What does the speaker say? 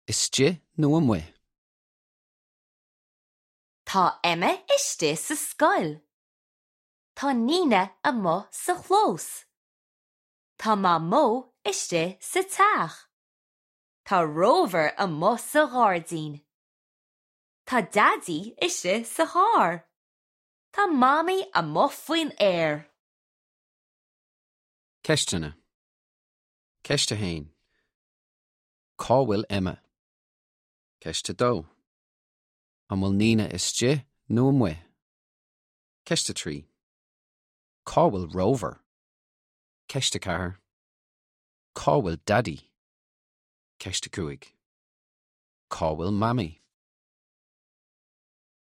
Istigh nó amuigh? Tá Emma istigh sa scoil. Tá Nina amuigh sa chlós. Tá Mamó istigh sa teach. Tá Rover amuigh sa ghairdín. Tá Daidí istigh sa charr. Tá Mamaí amuigh faoin aer. Ceisteanna. Ceist 1. Cá bhfuil Emma? Ceist 2. An bhfuil Nina istigh nó amuigh? Ceist 3. Cá bhfuil Rover? Ceist 4. Cá bhfuil Daidí? Ceist 5. Cá bhfuil Mamaí?